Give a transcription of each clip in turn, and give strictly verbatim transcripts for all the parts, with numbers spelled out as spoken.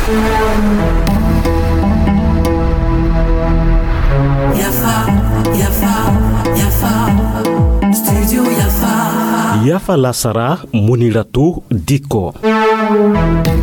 Yafa, yafa, yafa. Studio Yafa. Yafa lasara, Muniratu Dikko.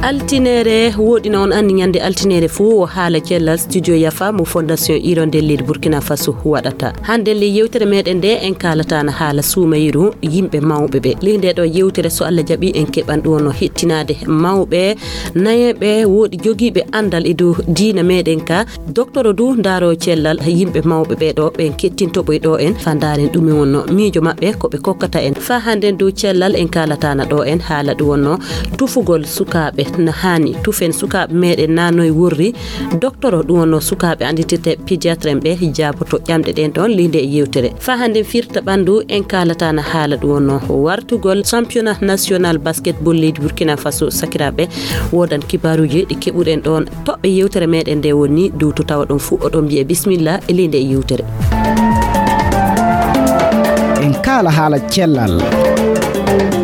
Altinere woɗina on anndi ñande altinere fuu o haala cellal studio Yafa mo Fondation Hirondelle leydi Burkina Faso waɗata. Hannde le yewtere meɗen nde en kaalata na haala suumayru yimɓe mawɓe ɓe. Ley nde ɗo yewtere so Allah jaɓi en keɓan ɗum no hettinaade mawɓe, nayeeɓe, woɗi jogiiɓe anndal e dow diina meɗen ka. Doktoro du ndaaro cellal yimɓe mawɓe ɓe ɗo ɓen kettinto ɓoy ɗo en fa ndaaren ɗum wonno miijo maɓɓe ko ɓe kokkata en. Fa hannden dow cellal en kaalatana ɗo en haala ɗum wonno tufugol sukaaɓe na haani tufen sukaaɓe meɗen na noy worri. Doktoro ɗum wonno sukaaɓe annditirte pédiatre en ɓe jaaboto ƴamɗe ɗen ɗon ley nde yewtere. Fa hannden firta ɓanndu en kaalatana haala ɗum wonno wartugol championnat national basketball leydi Burkina Faso sakiraaɓe. Wodan kibaaruuji ɗi keɓuɗen ɗon toɓɓe yewtere meɗen nde woni dow to tawa ɗon fuu oɗon mbiye bismillah e ley nde yewtere. En kaala haala cellal.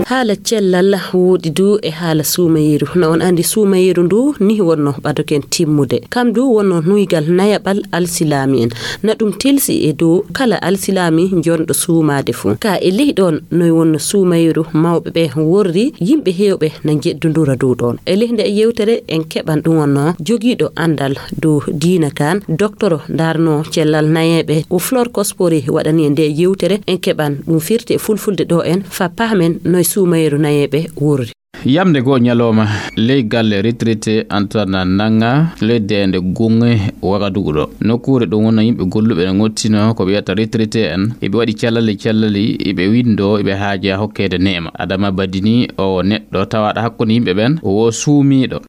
Haala cellal woɗi du e haala suumayeeru. Na on anndi suumayeeru ndu ni wonno ɓadoken timmude. Kam du wonno nuygal nayaɓal alsilaami en. Na ɗum tilsi e dow kala alsilaami jonɗo suumaade fuu. Ka e ley ɗon noy wonno suumayeeru mawɓe ɓe worri yimɓe heewɓe na njeddundura dow ɗon. E ley nde yewtere en keɓan ɗum wonno jogiiɗo anndal dow diina kan, doktoro ndaarno cellal nayeeɓe o Flore Kospori waɗani e nde yewtere en keɓan ɗum firti e fulfulde ɗo en fa pahmen noy suumayeeru nayeeɓe worri. Yamde goo ñalooma ley galle retraité Antana Nanga ley deende Gunge Wagadugu ɗo. Nokkuure ɗum wonno yimɓe golluɓe ne ngottino ko ɓe wiyata retraité en. Iɓe waɗi callali callali, iɓe winndo, iɓe haaja hokkeede neema. Adama Badini o neɗɗo tawaaɗo hakkunde yimɓe ɓen, o wo suumiiɗo.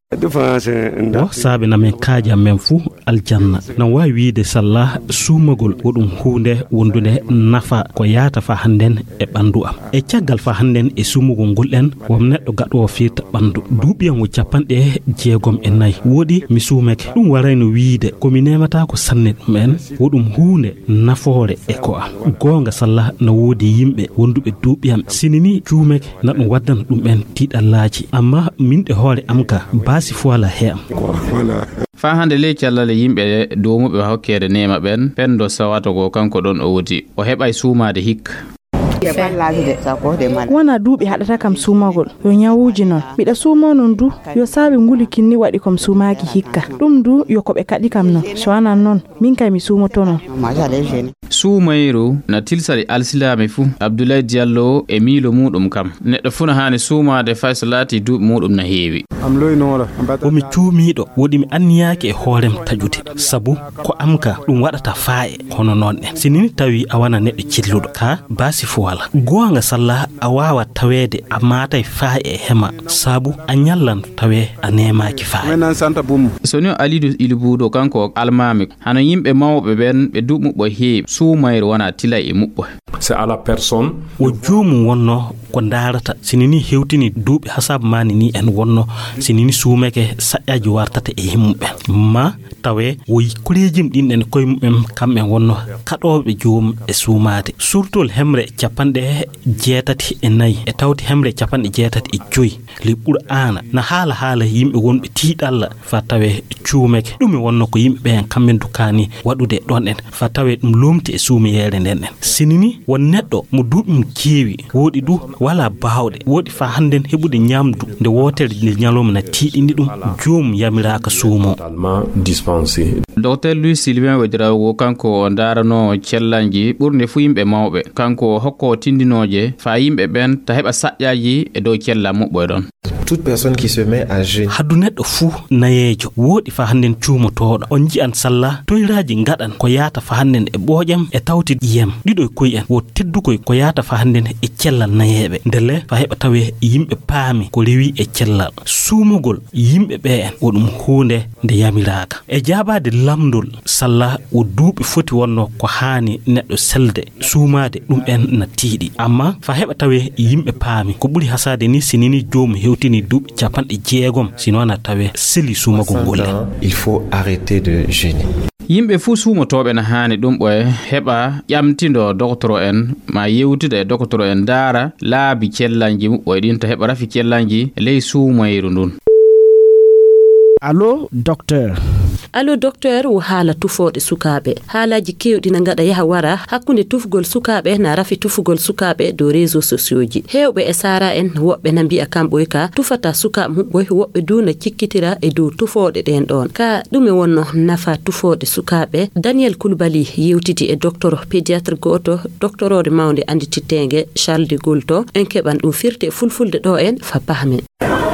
Wo saabe na men kaaja men fuu aljanna. Na waawi wiide salla suumagol wo ɗum huunde wondunde nafa ko yaata fa hannden e ɓanndu am. E caggal fa hannden e suumugol ngol en, won neɗɗo gaɗoowo firta ɓanndu. Duuɓi am wo capanɗe jeegom e nayi. Woɗi mi suumake. Ɗum warayno wiide ko mi neemataako sanne ɗum en. Wo ɗum huunde nafoore e ko am. Goonga salla na woodi yimɓe wonduɓe duuɓi am. Sini ni cuumake na ɗum waddana ɗum en tiiɗallaaji. Amma min ɗe hoore am ka baasi fuwala he am. Faa hannde ley callale yimɓe doomuɓe hokkeede neema ɓen, penndo sawata ko kanko ɗon o woti. O heɓay suumaade hikka. Wona duuɓi haɗata kam suumagol, yo ñawuuji non. Miɗa suumoo non du, yo saabe nguli kinni waɗi ko mi suumaaki hikka. Ɗum du, yo ko ɓe kaɗi kam non. So wanaa non, min kay mi suumoto non. Suumayru na tilsali alsilaami fuu. Abdoulaye Diallo e miilo muuɗum kam. Neɗɗo fuu na haani suumaade fay so laatii duuɓi muuɗum na heewi. Womi cuumiiɗo, woɗi mi anniyaaki e hoorem taƴude. Sabu ko am ka ɗum waɗata faa'e hono noon en. Si nii tawi a wona neɗɗo cilluɗo, ka baasi fuu walaa. Goonga salla a waawaa taweede a maatay faa'e e hema, sabu a ñallan tawee a neemaaki faa'e. So nii o Aliidu Ilibuudo, kanko o almaami, hano yimɓe mawɓe ɓen ɓe duuɓi muɓɓo heewi, suumayru wona tilay e muɓɓo. C'est à la personne. Wo joomum wonno ko ndaarata. Si nii hewtini duuɓi hasaabu maani nii en wonno, si nii suumake saƴƴaaji wartata e yimɓe. Ma tawe wo koreejim ɗin en koye mumen kamɓe wonno kaɗooɓe joomum e suumaade. Suurtol hemre capanɗe jeetati e nayi e tawti hemre capanɗe jeetati e joyi. Li Qur'aana na haala haala yimɓe wonɓe tiiɗalla fa tawe cuumeke. Ɗum e wonno ko yimɓe ɓen kamɓe dukkaani waɗude ɗon en fa tawe ɗum loomti e suumiyeere nden en. Si nii won neɗɗo mo duuɓi mum keewi, woɗi du walaa baawɗe, woɗi fa hannden heɓude ñamdu nde wootere nde ñalawma na tiiɗini ɗum, joomum yamiraaka suumoo. Docteur Louis Sylvain Ouedraogo, kanko o ndaarano cellanji ɓurɗe fuu yimɓe mawɓe. Kanko o hokko tindinooje fa yimɓe ɓen ta heɓa saƴƴaaji e dow cella muɓɓo e ɗon. Toute personne qui se met à jeûner. Haddu neɗɗo fuu nayeejo, woɗi fa hannden cuumotooɗo. On nji'an salla toyraaji ngaɗan ko yaata fa hannden e ɓooƴam e tawti yem. Ɗiɗo e koy en wo teddukoy ko yaata fa hannden e cellal nayeeɓe. Ndelle fa heɓa tawe yimɓe paami ko rewi e cellal. Suumugol yimɓe ɓe en wo ɗum huunde nde yamiraaka. E jaabaade lamndol salla wo duuɓi foti wonno ko haani neɗɗo selde suumaade ɗum en na tiiɗi. Amma fa heɓa tawe yimɓe paami ko ɓuri hasaade ni si nii joomum hewtini duuɓi capanɗe jeegom, si non na tawe seli suumagol ngol en. Il faut arrêter de jeûner. Yimɓe fuu suumotooɓe na haani ɗum ɓoye heɓa ƴamtindo doktoro en ma yewtida e doktoro en ndaara laabi cellanji muɓɓoy ɗin ta heɓa rafi cellanji ley suumayru ndun. Allo, docteur. Allo, docteur, wo haala tufooɗe sukaaɓe. Haalaaji keewɗi na ngaɗa yaha wara hakkunde tufgol sukaaɓe, na rafi tufugol sukaaɓe dow réseaux sociaux ji. Heewɓe e saara en, woɓɓe na mbi'a kamɓoy ka tufata sukaaɓe muɓɓoy, woɓɓe du na cikkitira e dow tufooɗe ɗen ɗon. Ka ɗume wonno nafa tufooɗe sukaaɓe? Daniel Koulibaly yewtidi e docteur pédiatre gooto, doctorore mawnde anndititteenge Charles de Gaulle to. En keɓan ɗum firti e fulfulde ɗo en fa pahmen.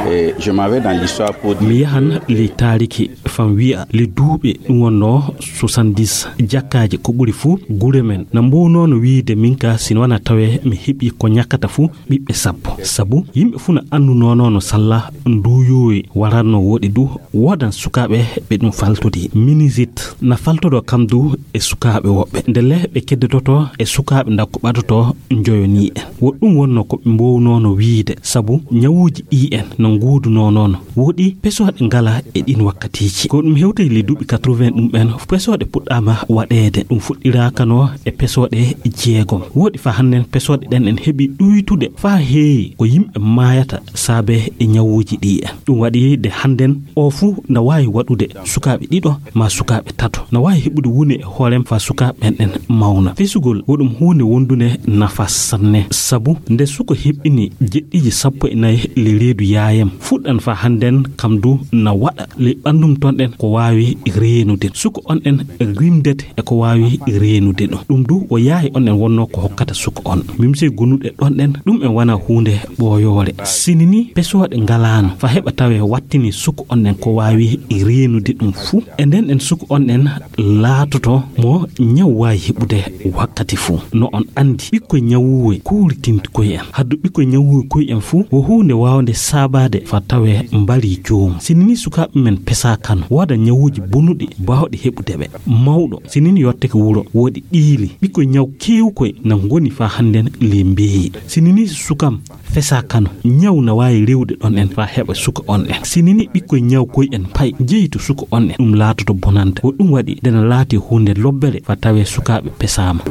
Et je m'en vais dans l'histoire pour dire. Mi yahan ley taariki fan wi'a ley duuɓi ɗum wonnoo soixante-dix, jakkaaji ko ɓuri fuu gure men na mbownoono wi'ude min ka, si no wanaa tawee mi heɓi ko ñakkata fuu ɓiɓɓe sappo. Sabu yimɓe fuu na anndunoonoo no salla nduuyoowe waratnoo. Woɗi du woodan sukaaɓe ɓe ɗum faltodii. Minizit na faltodoo kam du e sukaaɓe woɓɓe. Ndelle ɓe keddototoo e sukaaɓe ndakko ɓadotoo njoyonii en. Wo ɗum wonnoo ko ɓe mboownoono wi'ude, sabu ñawuuji ɗii en no nguudunoonoono. Woɗi pesooɗe ngala e ɗin wakkatiiji. Ko ɗum hewtay ley duuɓi quatre-vingts ɗum ɓen, pesooɗe puɗɗaama waɗeede. Ɗum fuɗɗiraakano e pesooɗe jeegom. Woɗi faa hannden pesooɗe ɗen en heɓi ɗuytude faa heewi ko yimɓe maayata saabe e ñawuuji ɗii en. Ɗum waɗi de hannden o fuu na waawi waɗude sukaaɓe ɗiɗo maa sukaaɓe tato. Na waawi heɓude wune e hoorem faa sukaaɓe ɓen ɗen mawna. Fesugol wo ɗum huunde wondunde nafa sanne. Sabu nde suko heɓɓini jeɗɗiiji sappo e nayi ley reedu yaayam, fuɗɗan faa hannden kam du na waɗa ley ɓanndum ton ɗen ko waawi reenude. Suko on ɗen rimdete e ko waawi reenude ɗum. Ɗum du wo yaayi on ɗen wonnoo ko hokkata suko on. Mimse gonuɗe ɗon ɗen, ɗum en wona huunde ɓooyoore. Sini ni pesooɗe ngalaano faa heɓa tawee wattini suko on ɗen ko waawi reenude ɗum fuu. E nden ɗen suko on ɗen laatoto mo ñaw waawi heɓude wakkati fuu. No on anndi, ɓikkoy ñawuuwe kuuritinti koy en. Haddu ɓikkoy ñawuuwe koy en fuu wo huunde waawnde saabaade faa tawee mbarii joomum. Sini ni sukaaɓe men pesaakano, wooda ñawuuji bonuɗi baawɗi heɓude ɓe. Mawɗo, sini ni yottake wuro, woodi ɗiili. Ɓikkoy ñaw keewkoy na ngoni faa hannden ley mbeeyi. Sini ni sukam fesaakano, ñaw na waawi rewde ɗon en faa heɓa suka on en. Sini ni ɓikkoy ñaw koy en pay jeyi to suka on en, ɗum laatoto bonande. Ko ɗum waɗi nde na laati huunde lobbere faa tawee sukaaɓe pesaama.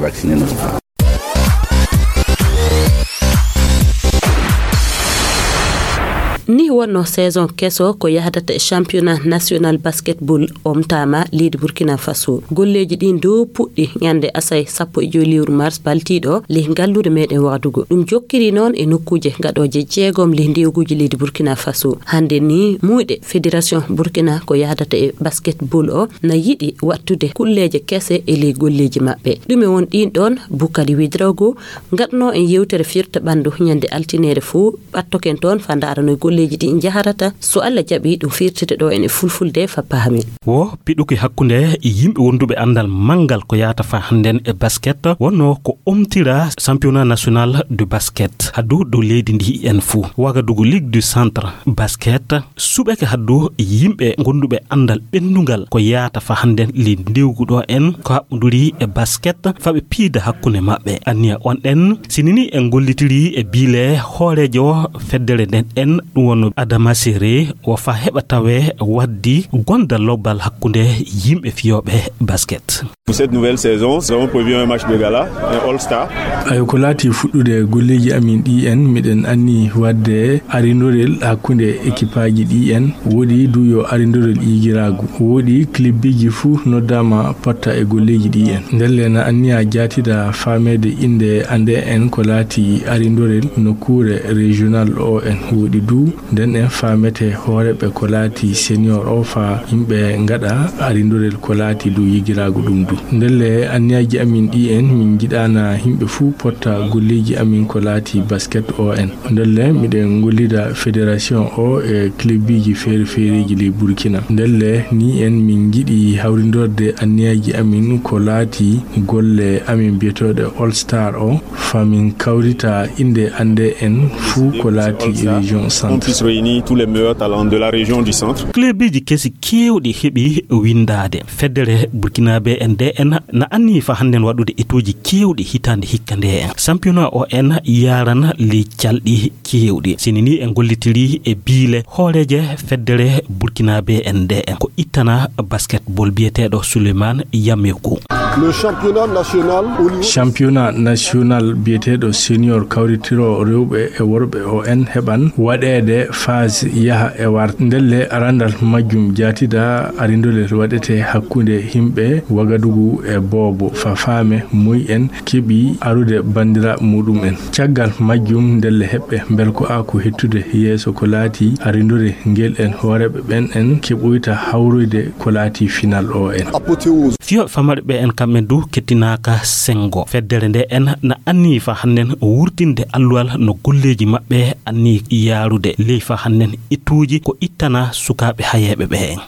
Ni wonno saison keso ko yahdata e championnat national basketball omtaama leydi Burkina Faso. Golleeji ɗin dow puɗɗi ñande asay sappo e joy lewru mars baltiiɗo ley ngalluure meɗen Wagadugu. Ɗum jokkiri noon e nokkuuje gaɗooje jeegom ley ndewguuji leydi Burkina Faso. Hannde ni muuyɗe fédération Burkina ko yahdata e basketball o na yiɗi wattude kulleeje kese e ley golleeji maɓɓe. Ɗume won ɗin ɗon? Bukari Widrogo gaɗno en yewtere firta ɓanndu ñande altineere fuu. Ɓattoken toon faa ndaaranoy golleeji ɗi njaharata. So Alla jaɓii, ɗum firtete ɗo en e fulfulde faa paamen. Wo piɗuki hakkunde yimɓe wonduɓe anndal manngal ko yaata faa hannden e basket, wonno ko omtira championnat national de basket haddu dow leydi ndi en fuu. Wagadugu Ligue du Centre basket suɓeke haddu yimɓe gonduɓe anndal ɓennungal ko yaata faa hannden ley ndewgu ɗo en ko haɓɓunduri e basket faa ɓe piida hakkunde maɓɓe. Anniya on ɗen, sini ni en gollitiri e biile hooreejo feddere nden en, ɗum wonno Adama Sere, wo faa heɓa tawee waddi gonda lobbal hakkunde yimɓe fiyooɓe basket. Pour cette nouvelle saison, nous avons prévu un match de gala, un All-Star. Ayo, ko laati fuɗɗude golleeji amin ɗi en, miɗen anni wadde arindorel hakkunde ekipaaji ɗi en. Woodi du yo arindorel yigiraagu. Woodi klibbiiji fuu noddaama potta e golleeji ɗi en. Ndelle na anniya jaatida faameede innde annde en ko laati arindorel nokkuure régional o en. Woodi du nden en faamete hooreɓe ko laati senior o faa yimɓe ngaɗa arindorel ko laati du yigiraagu ɗum du. Ndelle anniyaaji amin ɗi en, min njiɗaana yimɓe fuu potta golleeji amin ko laati basket o en. Ndelle miɗen ngollida fédération o e klibbiiji feere-feereeji ley Burkina. Ndelle ni en min njiɗi hawrindorde anniyaaji amin ko laati golle amin biyetooɗe All Star o, faa min kawrita innde annde en fuu ko laati région centre. On puisse réunir tous les meilleurs talents de la région du centre. Klebiji kesi keewɗi heɓi winndaade. Feddere Burkinabé en nde en na anni faa hannden waɗude etuuji keewɗi hitaande hikka nde en. Championnat o en yaaran ley calɗi keewɗi. Sini ni en gollitiri e biile hooreeje feddere Burkinabé en nde en. Ko ittana basketball biyeteeɗo Souleymane Yamekou. Le championnat national au niveau Championnat national biyeteeɗo senior kawritiro rewɓe e worɓe o en heɓan waɗeede phase yaha e war. Ndelle arandal majjum jaatida arindolel waɗete hakkunde himɓe Wagadugu e Boobo fa faame moy en keɓi arude bandira muɗum en. Caggal majjum ndelle heɓɓe mbelko a ko hettude yeeso ko laati arindore ngel en hooreɓe ɓen en keɓoyta hawroyde ko laati final o en. Apothéose. Fiyo famarɓe ɓe en kamɓe du kettinaaka sengo. Feddere nde en na anni fa hannden wurtinde alluwal no golleeji maɓɓe anni yaarude ley fa hannden ittuuji ko ittana sukaaɓe hayeeɓe ɓe en.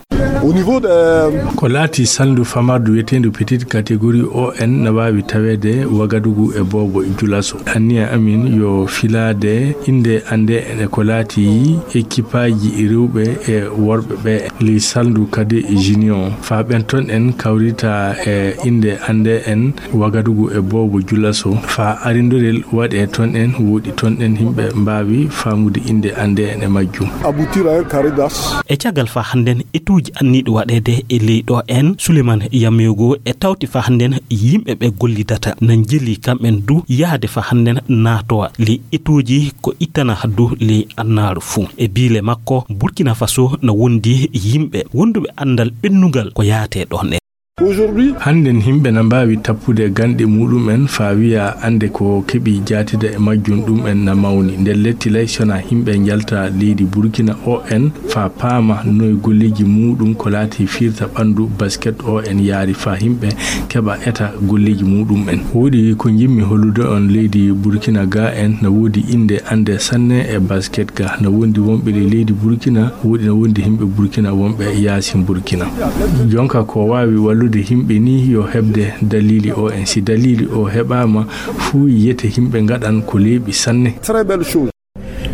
Au niveau de Ko laati salndu famardu wiyeteendu petite catégorie o en na waawi taweede Wagadugu e Boobo Julaso. Anniya amin yo filaade innde annde en e ko laati ekipaaji rewɓe e worɓe ɓe ley salndu kadi junior. Faa ɓen ton en kawrita e innde annde en Wagadugu e Boobo Julaso. Faa arindorel waɗe ton en woɗi ton en yimɓe mbaawi faamude innde annde en e majjum. Aboutir à un carré d'as. E caggal fa hannden etuuji anniiɗi waɗeede e ley ɗo en, Souleymane Yameyogo e tawti fa hannden yimɓe ɓe gollidata na njeli kamɓen du yahde fa hannden naatowa ley etuuji ko ittana du ley annaaru fuu. E biile makko, Burkina Faso na wondi yimɓe wonduɓe anndal ɓennungal ko yaate ɗon en. Aujourd'hui, Hannden himɓe na mbaawi tappude ganɗe muɗum en faa wiya annde ko keɓi jaatida e majjum ɗum en na mawni. Nder lettilay sona himɓe njalta leydi Burkina o en faa paama noy golleeji muɗum ko laati firta ɓanndu basket o en yaari faa himɓe keɓa eta golleeji muɗum en. Woodi ko njimmi hollude on leydi Burkina ga en na woodi innde annde sanne e basket ga. Na wondi wonɓe ley leydi Burkina, woodi na wondi himɓe Burkina wonɓe yaasin Burkina. Jonka ko waawi wallude himɓe ni yo heɓde dalili o en. Si dalili o heɓaama fuu yiyete himɓe ngaɗan ko leeɓi sanne. Très belle chose.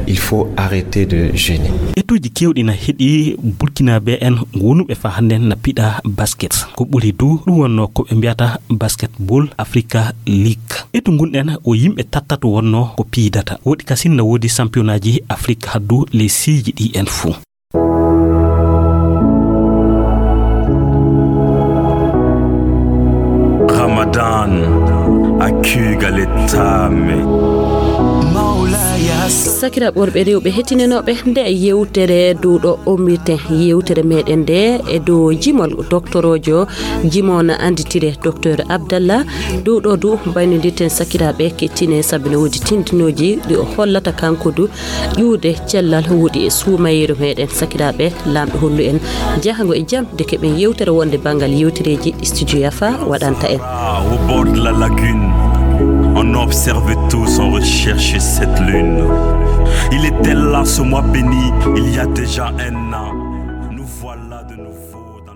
Il faut arrêter de gêner. Etuuji keewɗi na heɗi Burkinaaɓe en wonuɓe fa hannden na piɗa basket. Ko ɓuri du ɗum wonno ko ɓe mbiyata Basketball Africa League. Etu ngun en o yimɓe tattato wonno ko piidata. Woɗi kasin na woodi sampiyonaaji Afrik haddu ley siiji ɗi en fuu. Ramadan a kuugal e taame. Sakiraaɓe worɓe rewɓe hettinenooɓe nde yewtere duuɗo ommirten yewtere meɗen nde e dow jimol doctoroojo jimo na annditire docteur Abdallah. Dow ɗo du mbaynodirten sakiraaɓe kettine sabu ne woodi tindinooji ɗi o hollata kanko du ƴuude cellal woodi e suumayeeru meɗen sakiraaɓe. Laamɗo hollu en jahango e jam de keɓen yewtere wonde banngal yewtereeji ɗi studio Yafa waɗanta en. Au bord de la lagune, on observe tous, on recherche cette lune. Il était là ce mois béni, il y a déjà un an. Nous voilà de nouveau dans